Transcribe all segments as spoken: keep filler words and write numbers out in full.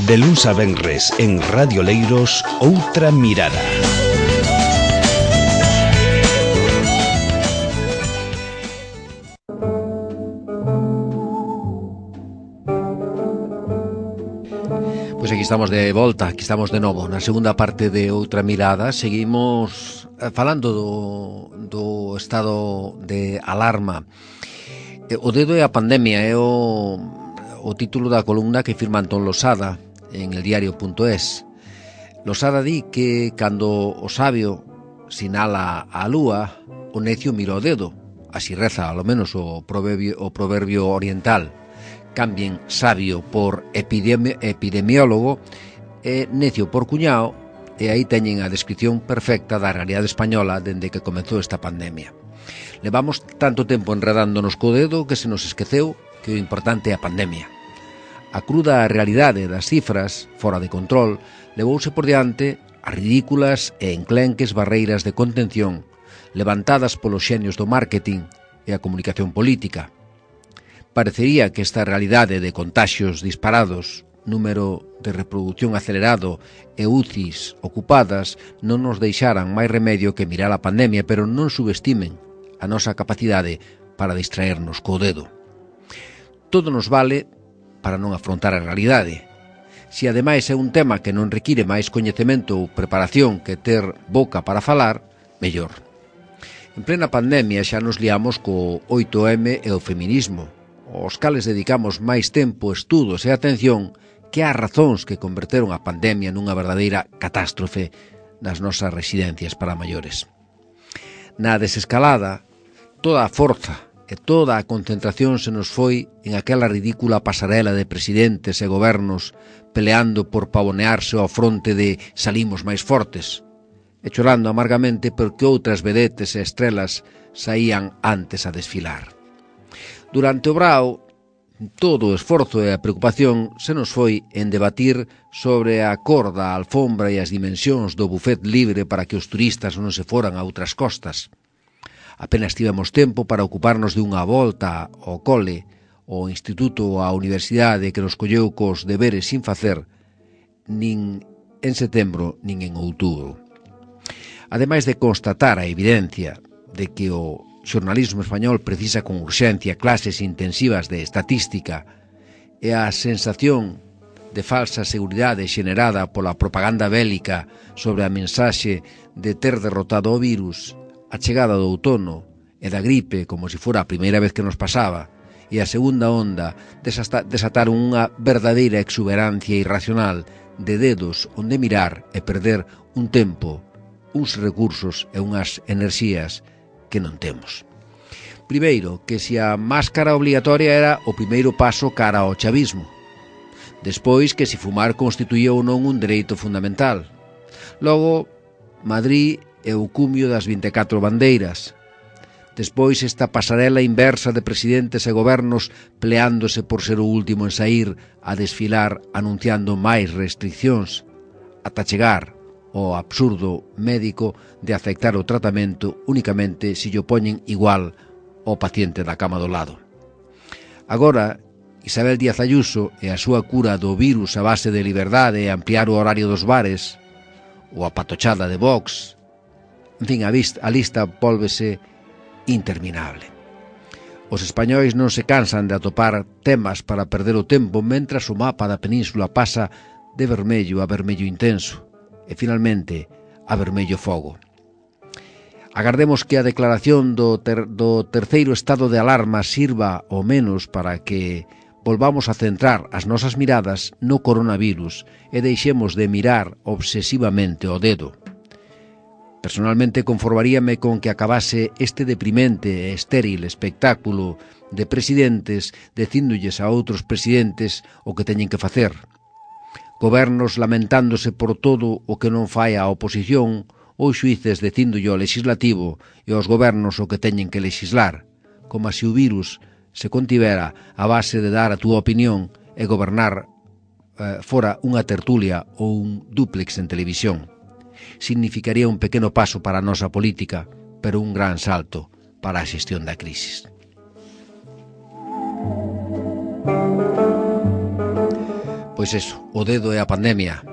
De luns a venres en Radio Leiros, Outra Mirada. Pois aquí estamos de volta, aquí estamos de novo na segunda parte de Outra Mirada. Seguimos falando do, do estado de alarma. O dedo é a pandemia, é o, o título da columna que firma Antón Losada en el diario punto es. Losada di que cando o sabio sinala a lúa, o necio mira o dedo. Así reza, ao menos, o proverbio, o proverbio oriental. Cambien sabio por epidemi epidemiólogo e necio por cuñao, e aí teñen a descripción perfecta da realidade española dende que comezou esta pandemia. Levamos tanto tempo enredándonos co dedo que se nos esqueceu que o importante é a pandemia. A cruda realidade das cifras, fora de control, levouse por diante as ridículas e enclenques barreiras de contención levantadas polos xenios do marketing e a comunicación política. Parecería que esta realidade de contaxios disparados, número de reproducción acelerado e U C Is ocupadas non nos deixaran máis remedio que mirar a pandemia, pero non subestimen a nosa capacidade para distraernos co dedo. Todo nos vale para non afrontar a realidade. Se ademais é un tema que non require máis coñecemento ou preparación que ter boca para falar, mellor. En plena pandemia xa nos liamos co oito eme e o feminismo, aos cales dedicamos máis tempo, estudos e atención que ás razóns que converteron a pandemia nunha verdadeira catástrofe nas nosas residencias para maiores. Na desescalada, toda a forza e toda a concentración se nos foi en aquela ridícula pasarela de presidentes e gobernos peleando por pavonearse ao fronte de salimos máis fortes, e chorando amargamente porque outras vedetes e estrelas saían antes a desfilar. Durante o brao, todo o esforzo e a preocupación se nos foi en debatir sobre a cor da alfombra e as dimensións do buffet libre para que os turistas non se foran a outras costas. Apenas tivemos tempo para ocuparnos de unha volta ao cole, ao instituto ou á universidade que nos colleu cos deberes sin facer, nin en setembro nin en outubro. Ademais de constatar a evidencia de que o xornalismo español precisa con urxencia clases intensivas de estatística e a sensación de falsa seguridade xenerada pola propaganda bélica sobre a mensaxe de ter derrotado o virus, a chegada do outono e da gripe como se fora a primeira vez que nos pasaba e a segunda onda desataron unha verdadeira exuberancia irracional de dedos onde mirar e perder un tempo, uns recursos e unhas enerxías que non temos. Primeiro, que se a máscara obligatoria era o primeiro paso cara ao chavismo. Despois, que se fumar constituía ou non un dereito fundamental. Logo, Madrid e o cumio das vinte e catro bandeiras. Despois esta pasarela inversa de presidentes e gobernos pleándose por ser o último en saír a desfilar anunciando máis restriccións, ata chegar ao absurdo médico de aceptar o tratamento únicamente se lle poñen igual ao paciente da cama do lado. Agora, Isabel Díaz Ayuso e a súa cura do virus a base de liberdade e ampliar o horario dos bares, ou a patochada de Vox. En fin, a, vista, a lista volvese interminable. Os españois non se cansan de atopar temas para perder o tempo mentras o mapa da península pasa de vermello a vermello intenso e, finalmente, a vermello fogo. Agardemos que a declaración do, ter, do terceiro estado de alarma sirva ao menos para que volvamos a centrar as nosas miradas no coronavirus e deixemos de mirar obsesivamente o dedo. Personalmente conformaríame con que acabase este deprimente e estéril espectáculo de presidentes dicíndolles a outros presidentes o que teñen que facer. Gobernos lamentándose por todo o que non fai a oposición ou xuíces dicíndolle ao legislativo e aos gobernos o que teñen que legislar, como se o virus se contivera a base de dar a túa opinión e gobernar eh, fora unha tertulia ou un dúplex en televisión. Significaría un pequeno paso para a nosa política, pero un gran salto para a xestión da crisis. Pois Pois eso, o dedo é a pandemia,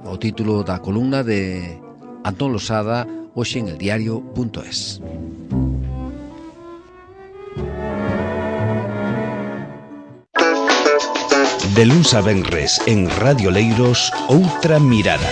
o título da columna de Antón Losada, hoxe en el diario punto es. De luns a venres en Radio Leiros, Outra Mirada.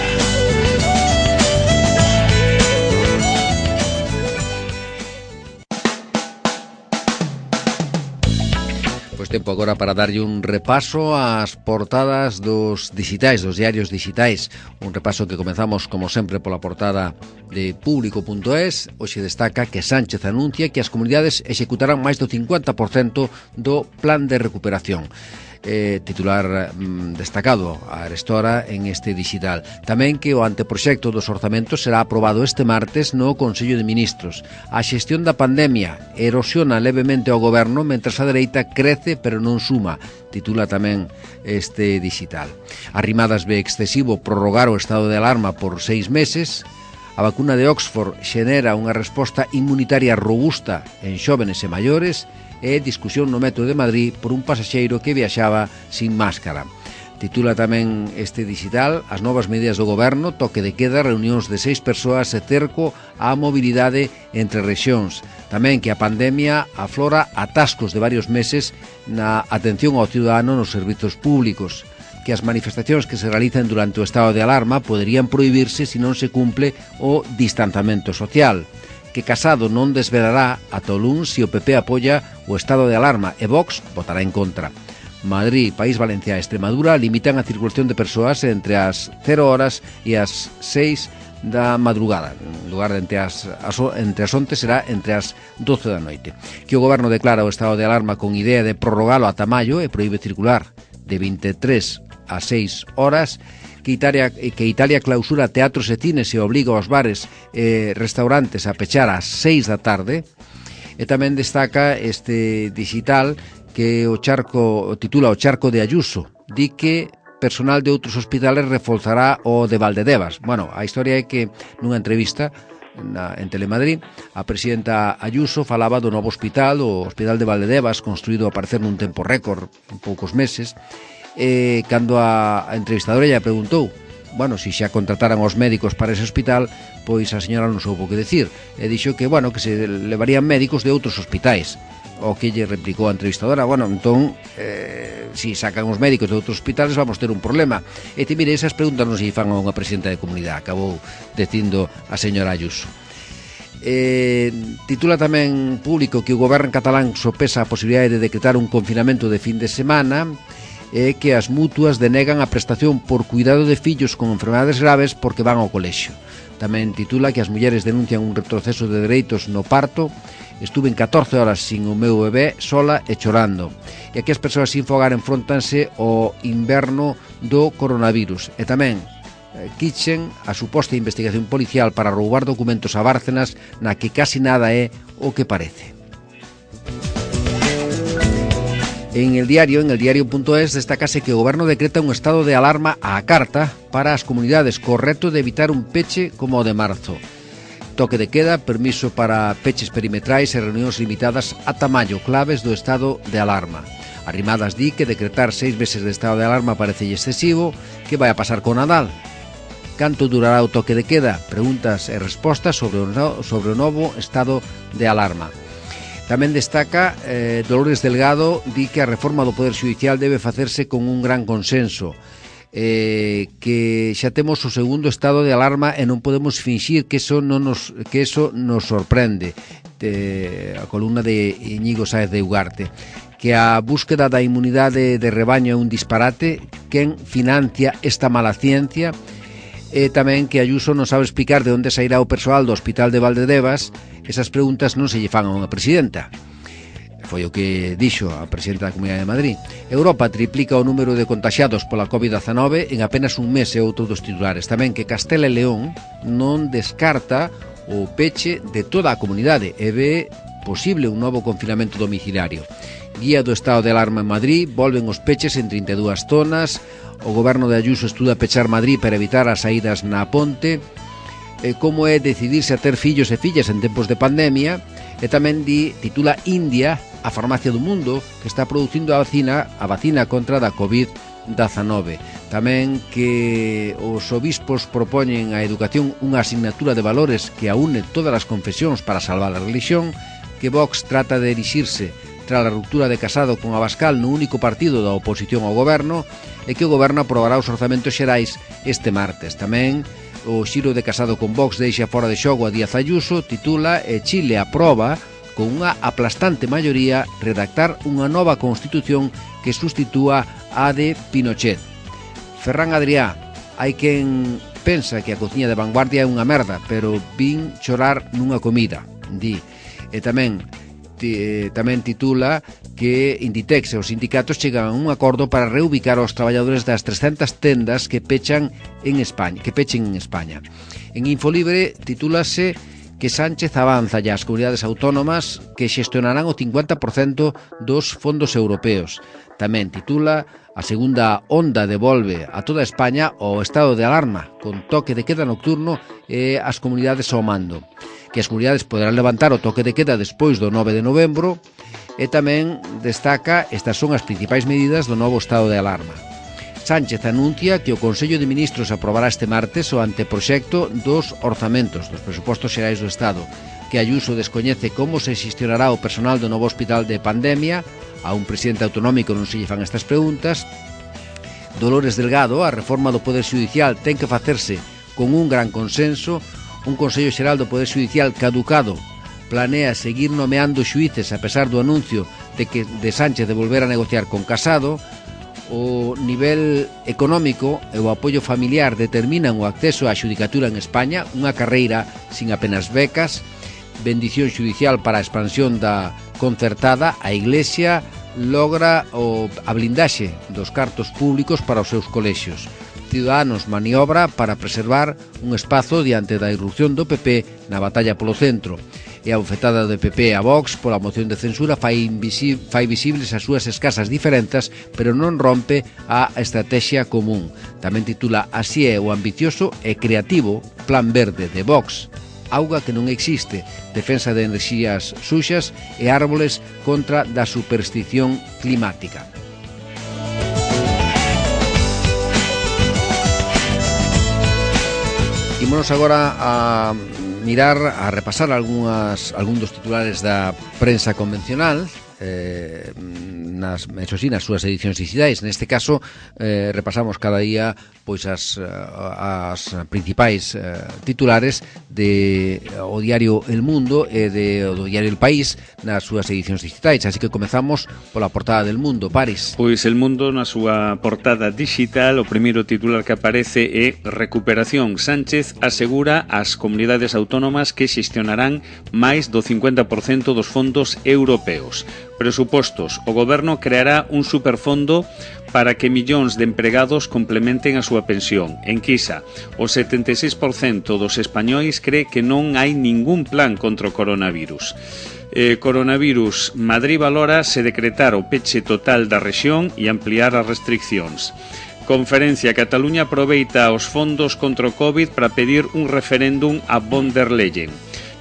Pois tempo agora para darlle un repaso ás portadas dos digitais, dos diarios digitais. Un repaso que comezamos, como sempre, pola portada de Público punto es. Hoxe destaca que Sánchez anuncia que as comunidades executarán máis do cincuenta por cento do plan de recuperación. Eh, titular mm, destacado a Arestora en este digital. Tamén que o anteproxecto dos orzamentos será aprobado este martes no Consello de Ministros. A xestión da pandemia erosiona levemente ao goberno, mentras a dereita crece pero non suma, titula tamén este digital. Arrimadas ve excesivo prorrogar o estado de alarma por seis meses. A vacuna de Oxford xenera unha resposta inmunitaria robusta en xóvenes e maiores. E discusión no metro de Madrid por un pasaxeiro que viaxaba sin máscara. Titula tamén este digital as novas medidas do goberno, toque de queda, reunións de seis persoas e cerco á mobilidade entre rexións. Tamén que a pandemia aflora atascos de varios meses na atención ao ciudadano nos servizos públicos, que as manifestacións que se realizan durante o estado de alarma poderían prohibirse se non se cumple o distanciamento social, que Casado non desvelará ata o luns se o P P apoia o estado de alarma e Vox votará en contra. Madrid, País Valenciá e Extremadura limitan a circulación de persoas entre as cero horas e as seis da madrugada. En lugar de entre as, as, entre as once será entre as doce da noite. Que o goberno declara o estado de alarma con idea de prorrogalo ata maio e proíbe circular de vinte e tres a seis horas. Que Italia, que Italia clausura teatros e cines e obliga aos bares e restaurantes a pechar ás seis da tarde. E tamén destaca este digital que o charco titula o charco de Ayuso. Di que personal de outros hospitales reforzará o de Valdedevas. Bueno, a historia é que nunha entrevista na, en Telemadrid, a presidenta Ayuso falaba do novo hospital, o Hospital de Valdedevas, construído a parecer nun tempo récord, en poucos meses. Eh, cando a, a entrevistadora ella preguntou, bueno, se xa contrataran os médicos para ese hospital, pois a señora non soubo que decir, e dixo que, bueno, que se levarían médicos de outros hospitais. O que lle replicou a entrevistadora, bueno, entón, eh, se sacan os médicos de outros hospitales vamos ter un problema. E te mire, esas preguntas non se fan a unha presidenta de comunidade, acabou dicindo a señora Ayuso. Eh, titula tamén Público que o goberno catalán sopesa a posibilidade de decretar un confinamento de fin de semana, e que as mutuas denegan a prestación por cuidado de fillos con enfermedades graves porque van ao colexio. Tamén titula que as mulleres denuncian un retroceso de dereitos no parto. Estuve en catorce horas sin o meu bebé, sola e chorando. E aquí as persoas sin fogar enfróntanse ao inverno do coronavirus. E tamén quichen a suposta investigación policial para roubar documentos a Bárcenas, na que casi nada é o que parece. En el diario, en el diario punto es, destacase que o goberno decreta un estado de alarma á carta para as comunidades, co reto de evitar un peche como o de marzo. Toque de queda, permiso para peches perimetrais e reunións limitadas ata maio, claves do estado de alarma. Arrimadas di que decretar seis meses de estado de alarma parece excesivo. Que vai a pasar con Nadal? Canto durará o toque de queda? Preguntas e respostas sobre o, no, sobre o novo estado de alarma. Tamén destaca eh, Dolores Delgado, di que a reforma do Poder Xudicial debe facerse con un gran consenso, eh, que xa temos o segundo estado de alarma e non podemos finxir que eso non nos, que eso nos sorprende. De, a columna de Íñigo Sáez de Ugarte, que a búsqueda da inmunidade de rebaño é un disparate, quen financia esta mala ciencia, e tamén que Ayuso non sabe explicar de onde sairá o persoal do Hospital de Valdedevas. Esas preguntas non se lle fan a unha presidenta. Foi o que dixo a presidenta da Comunidade de Madrid. Europa triplica o número de contaxiados pola covid dezanove en apenas un mes, e outro dos titulares. Tamén que Castela e León non descarta o peche de toda a comunidade e ve posible un novo confinamento domiciliario. Guía do estado de alarma en Madrid, volven os peches en trinta e dúas zonas. O goberno de Ayuso estuda pechar Madrid para evitar as saídas na ponte. E como é decidirse a ter fillos e fillas en tempos de pandemia. E tamén di, titula India, a farmacia do mundo, que está producindo a vacina, a vacina contra da covid dezanove. Tamén que os obispos propoñen a educación unha asignatura de valores que aúne todas as confesións para salvar a religión, que Vox trata de erixirse tras a ruptura de Casado con Abascal no único partido da oposición ao goberno e que o goberno aprobará os orzamentos xerais este martes. Tamén o xiro de Casado con Vox deixa fora de xogo a Díaz Ayuso, titula e Chile aproba con unha aplastante maioría redactar unha nova constitución que sustitúa a de Pinochet. Ferran Adrià, hai quen pensa que a cociña de vanguardia é unha merda, pero vin chorar nunha comida, di. E tamén tamén titula que Inditex e os sindicatos chegan a un acordo para reubicar aos traballadores das trescentas tendas que pechan en España, que pechen en España. En Infolibre titúlase que Sánchez avanza ya as comunidades autónomas que xestionarán o cincuenta por cento dos fondos europeos. Tamén titula a segunda onda devolve a toda España o estado de alarma con toque de queda nocturno e as comunidades ao mando, que as comunidades poderán levantar o toque de queda despois do nove de novembro, e tamén destaca estas son as principais medidas do novo estado de alarma. Sánchez anuncia que o Consello de Ministros aprobará este martes o anteproxecto dos orzamentos dos presupostos xerais do Estado, que Ayuso descoñece como se xestionará o personal do novo hospital de pandemia. A un presidente autonómico non se lle fan estas preguntas. Dolores Delgado, a reforma do Poder Xudicial ten que facerse con un gran consenso. Un Consello Xeral do Poder Xudicial caducado planea seguir nomeando xuíces a pesar do anuncio de que de Sánchez de volver a negociar con Casado. O nivel económico e o apoio familiar determinan o acceso á xudicatura en España, unha carreira sin apenas becas. Bendición xudicial para a expansión da concertada. A Iglesia logra o, a blindaxe dos cartos públicos para os seus colexios. Ciudadanos maniobra para preservar un espazo diante da irrupción do P P na batalla polo centro. E a bofetada do P P a Vox pola moción de censura fai, invisi fai visibles as súas escasas diferenzas, pero non rompe a estrategia común. Tamén titula Así é o ambicioso e creativo Plan Verde de Vox. Auga que non existe, defensa de enerxías suxas e árboles contra da superstición climática. Ímonos agora a mirar, a repasar algunhas, algún dos titulares da prensa convencional, eh, nas, eso sí, nas súas edicións digitais. Neste caso, eh, repasamos cada día pois as, as principais eh, titulares de o diario El Mundo e de o do diario El País nas súas edicións digitais. Así que comezamos pola portada del Mundo. Paris. Pois El Mundo na súa portada digital, o primeiro titular que aparece é Recuperación. Sánchez asegura ás comunidades autónomas que xestionarán máis do cincuenta por cento dos fondos europeos. Presupostos. O goberno creará un superfondo para que millóns de empregados complementen a súa pensión. Enquisa, o setenta e seis por cento dos españois cree que non hai ningún plan contra o coronavirus. Eh, coronavirus, Madrid valora se decretar o peche total da rexión e ampliar as restriccións. Conferencia, Cataluña aproveita os fondos contra o COVID para pedir un referéndum a von der Leyen.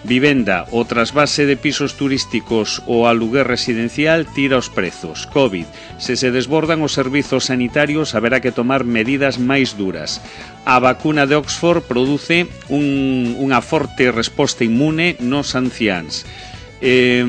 Vivenda, o trasvase de pisos turísticos ou aluguer residencial tira os prezos. COVID, se se desbordan os servizos sanitarios haberá que tomar medidas máis duras. A vacuna de Oxford produce un, unha forte resposta inmune nos anciáns. Eh,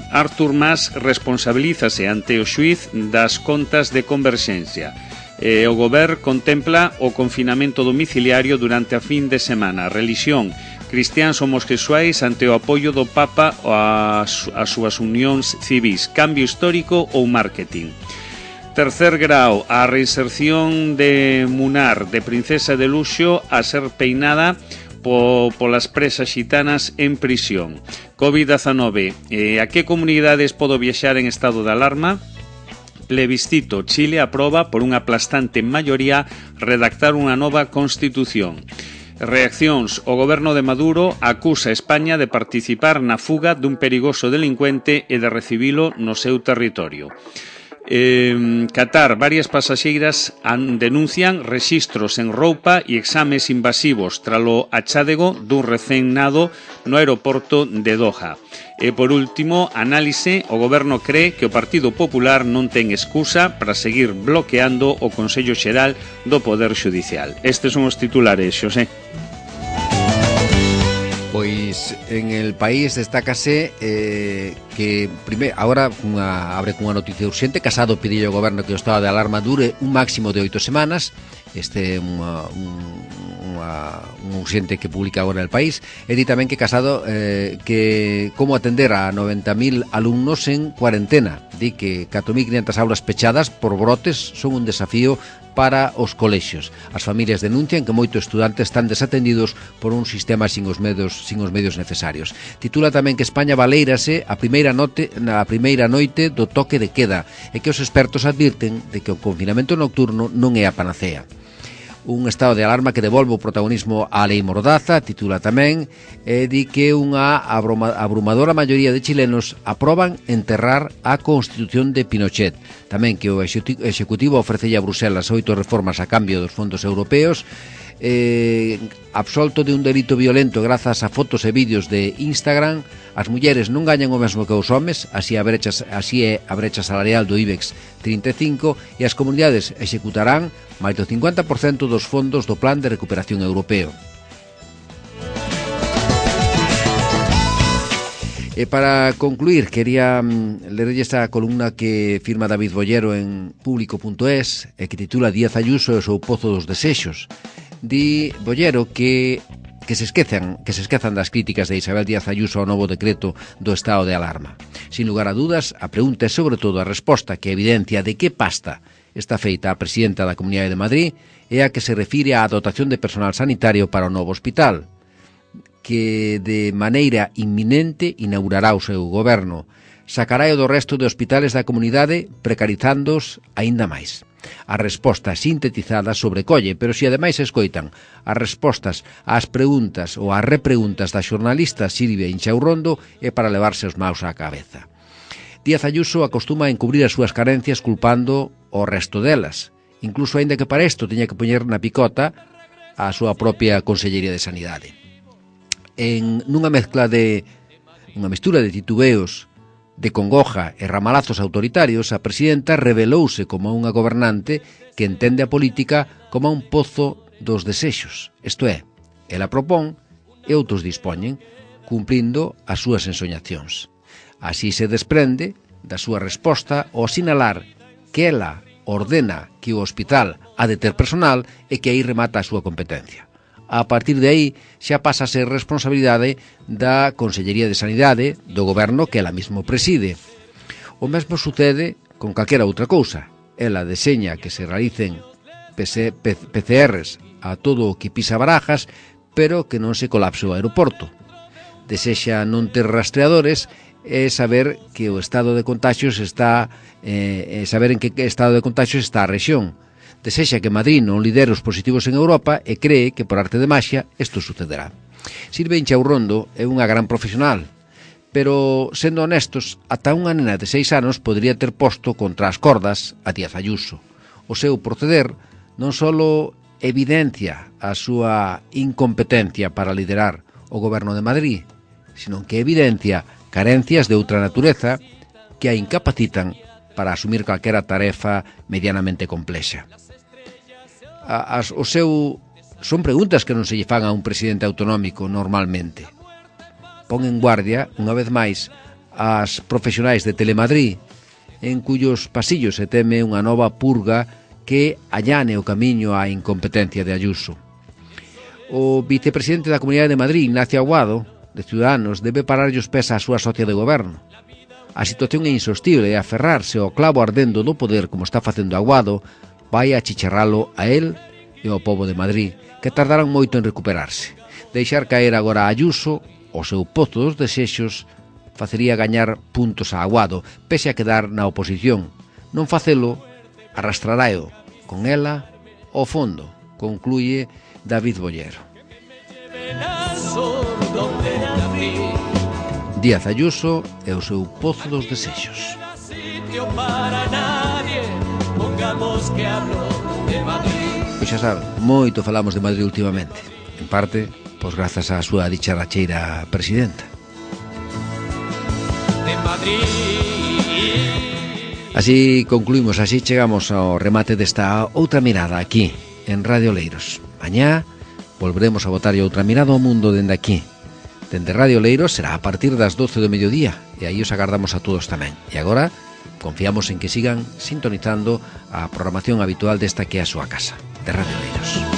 Artur Mas responsabilízase ante o xuiz das contas de Converxencia. Eh, o goberno contempla o confinamento domiciliario durante a fin de semana. Relixión, cristiáns homosexuais ante o apoio do Papa ás, ás súas unións civís. Cambio histórico ou marketing. Tercer grau, a reinserción de Munar, de princesa de luxo a ser peinada po, polas presas xitanas en prisión. COVID diecinueve, eh, a que comunidades podo viaxar en estado de alarma? Plebiscito, Chile aproba por unha aplastante maioría redactar unha nova constitución. Reaccións, o goberno de Maduro acusa a España de participar na fuga dun perigoso delincuente e de recibilo no seu territorio. Eh, Qatar, varias pasaxeiras an, denuncian rexistros en roupa e exames invasivos tralo achádego dun recén nado no aeroporto de Doha. E por último, análise, o goberno cree que o Partido Popular non ten excusa para seguir bloqueando o Consello Xeral do Poder Xudicial. Estes son os titulares, Xosé. Pois en el país destácase eh, que primeiro, agora unha, abre cunha noticia urxente. Casado pediu ao goberno que o estado de alarma dure un máximo de oito semanas. Este é unha, unha, un urxente que publica agora el país. E di tamén que Casado eh, que como atender a noventa mil alumnos en cuarentena. Di que catro mil quinhentas aulas pechadas por brotes son un desafío para os colexios. As familias denuncian que moitos estudantes están desatendidos por un sistema sin os medios, sin os medios necesarios. Titula tamén que España baleírase a primeira noite, na primeira noite do toque de queda e que os expertos advirten de que o confinamento nocturno non é a panacea. Un estado de alarma que devolve o protagonismo á lei Mordaza, titula tamén, e di que unha abrumadora maioría de chilenos aproban enterrar a Constitución de Pinochet. Tamén que o Executivo ofrecelle a Bruselas oito reformas a cambio dos fondos europeos, eh, absolto de un delito violento grazas a fotos e vídeos de Instagram. As mulleres non gañan o mesmo que os homes, así, a brecha, así é a brecha salarial do IBEX trinta e cinco, e as comunidades executarán máis do cincuenta por cento dos fondos do Plan de Recuperación Europeo. E para concluir, quería lerlle esta columna que firma David Bollero en público punto es e que titula Díaz Ayuso e o seu pozo dos desexos. Di Bollero que que se esquezan, que se esquezan das críticas de Isabel Díaz Ayuso ao novo decreto do estado de alarma. Sin lugar a dudas, a pregunta é sobre todo a resposta que evidencia de que pasta está feita a presidenta da Comunidade de Madrid é a que se refire á dotación de personal sanitario para o novo hospital, que de maneira inminente inaugurará o seu goberno. Sacará o do resto de hospitales da comunidade precarizándoos aínda máis. A resposta sintetizada sobrecolle, pero se ademais escoitan as respostas ás preguntas ou ás repreguntas da xornalista Silvia Inchaurrondo é para levarse os maus á cabeza. Díaz Ayuso acostuma a encubrir as súas carencias culpando o resto delas, incluso aínda que para isto teña que poñer na picota a súa propia Consellería de Sanidade. En nunha mezcla de unha mestura de titubeos, de congoja e ramalazos autoritarios, a presidenta revelouse como unha gobernante que entende a política como un pozo dos desexos. Isto é, ela propón e outros dispoñen, cumplindo as súas ensoñacións. Así se desprende da súa resposta ao sinalar que ela ordena que o hospital ha de ter personal e que aí remata a súa competencia. A partir de aí xa pasa a ser responsabilidade da Consellería de Sanidade do goberno que ela mesmo preside. O mesmo sucede con calquera outra cousa. Ela deseña que se realicen P C Rs a todo o que pisa Barajas, pero que non se colapse o aeroporto. Desexa non ter rastreadores e saber que o estado de contaxios está eh, saber en que estado de contaxios está a rexión. Desexa que Madrid non lidere os positivos en Europa e cree que por arte de maxia isto sucederá. Silvia Inchaurrondo é unha gran profesional, pero, sendo honestos, ata unha nena de seis anos podría ter posto contra as cordas a Díaz Ayuso. O seu proceder non só evidencia a súa incompetencia para liderar o goberno de Madrid, sino que evidencia carencias de outra natureza que a incapacitan para asumir calquera tarefa medianamente complexa. As, o seu son preguntas que non se lle fan a un presidente autonómico normalmente. Pon en guardia, unha vez máis, as profesionais de Telemadrid, en cuyos pasillos se teme unha nova purga que allane o camiño á incompetencia de Ayuso. O vicepresidente da Comunidade de Madrid, Ignacio Aguado, de Ciudadanos, debe pararlle os pés á súa socia de goberno. A situación é insostible e aferrarse ao clavo ardendo do poder, como está facendo Aguado, vai a chicharralo a él e ao pobo de Madrid, que tardarán moito en recuperarse. Deixar caer agora a Ayuso, o seu pozo dos desexos, facería gañar puntos a Aguado, pese a quedar na oposición. Non facelo, arrastraraeo con ela ao fondo, concluye David Bollero. Díaz Ayuso e o seu pozo dos desexos. digamos que hablo de Madrid. Pois xa saben, moito falamos de Madrid últimamente. En parte, pois grazas á súa dicharacheira presidenta. De Madrid. Así concluímos, así chegamos ao remate desta outra mirada aquí, en Radio Leiros. Mañá volveremos a botarlle outra mirada ao mundo dende aquí. Dende Radio Leiros será a partir das doce do mediodía, e aí os agardamos a todos tamén. E agora confiamos en que sigan sintonizando a programación habitual desta que é a súa casa, de Radio Leiros.